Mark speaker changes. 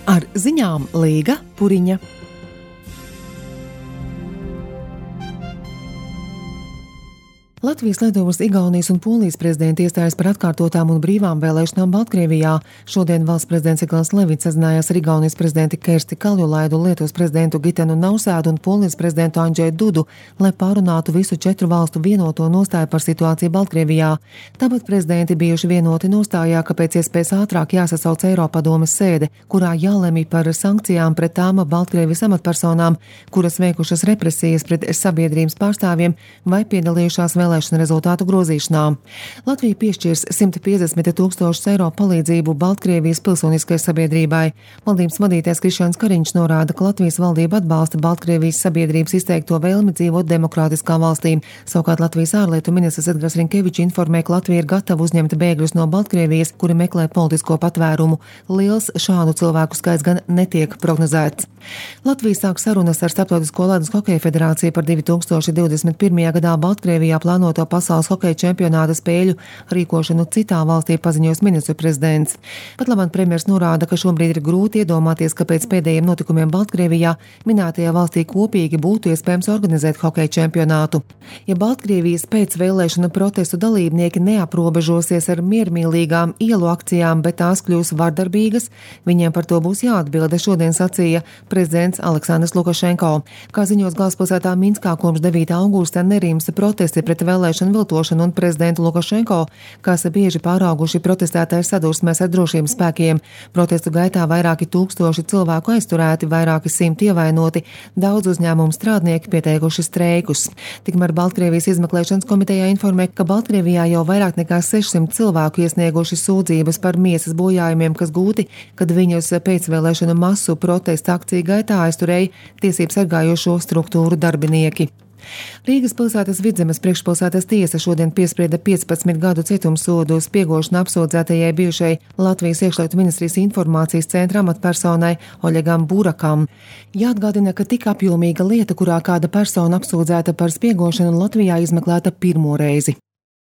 Speaker 1: Ar ziņām Līga Puriņa. Latvijas, Lietuvas, Igaunijas un Polijas prezidenti iestājas par atkārtotām un brīvām vēlēšanām Baltkrievijā. Šodien valsts prezidents Egils Levits sazinājās ar Igaunijas prezidenti Kersti Kaljulaidu, Lietuvas prezidentu Gitanu Nausēdu un Polijas prezidentu Andžeju Dudu, lai pārunātu visu 4 valstu vienoto nostāju par situāciju Baltkrievijā. Tāpat prezidenti bijuši vienoti nostājā, ka pēc iespējas ātrāk jāsasauc Eiropadomes sēde, kurā jālemj par sankcijām pret tām Baltkrievijas amatpersonām, kuras veikušas represijas pret sabiedrības pārstāvjiem vai piedalījušās vēlēšanu rezultātu grozīšanā. Latvija piešķirs 150 000 eiro palīdzību Baltkrievijas pilsoniskai sabiedrībai. Valdības vadītājs Krišjāns Kariņš norāda, ka Latvijas valdība atbalsta Baltkrievijas sabiedrības izteikto vēlmi dzīvot demokrātiskā valstī. Savukārt Latvijas ārlietu ministrs Edgars Rinkevičs informē, ka Latvija ir gatava uzņemt bēgļus no Baltkrievijas, kuri meklē politisko patvērumu. Liels šādu cilvēku skaits gan netiek prognozēts. Latvija sāk sarunas ar Starptautisko ledus hokeja federāciju par 2021. gadā Baltkrievijā plānoto pasaules hokeja čempionāta spēļu rīkošanu citā valstī, paziņos ministru prezidents. Pat labāk premjers norāda, ka šobrīd ir grūti iedomāties, ka pēc pēdējiem notikumiem Baltkrievijā minētajā valstī kopīgi būtu iespējams organizēt hokeja čempionātu. Ja Baltkrievijas pēcvēlēšanu protestu dalībnieki neaprobežosies ar miermīlīgām ielu akcijām, bet tās kļūs vardarbīgas, viņiem par to būs jāatbilda, šodien sacīja prezidents Aleksandrs Lukašenko. Kā ziņos galvaspilsētā Minskā kopš 9. augusta nerimsta protesti pret vēlēšanu viltošanu un prezidentu Lukašenko, kas bieži pārauguši protestētāju sadursmēs ar drošības spēkiem. Protestu gaitā vairāki tūkstoši cilvēku aizturēti, vairāki 100 ievainoti, daudz uzņēmumu strādnieki pieteikuši streikus. Tikmēr Baltkrievijas izmeklēšanas komitejā informē, ka Baltkrievijā jau vairāk nekā 600 cilvēku iesnieguši sūdzības par miesas bojājumiem, kas gūti, kad viņus pēcvēlēšanu masu protesta akciju gaitā aizturēja tiesību sargājošo struktūru darbinieki. Rīgas pilsētas Vidzemes priekšpilsētas tiesa šodien piesprieda 15 gadu cietumsodu spiegošanu apsūdzētajai bijušai Latvijas iekšlietu ministrijas informācijas centra amatpersonai Oļegam Burakam. Jāatgādina, ka tik apjomīga lieta, kurā kāda persona apsūdzēta par spiegošanu, Latvijā izmeklēta pirmo reizi.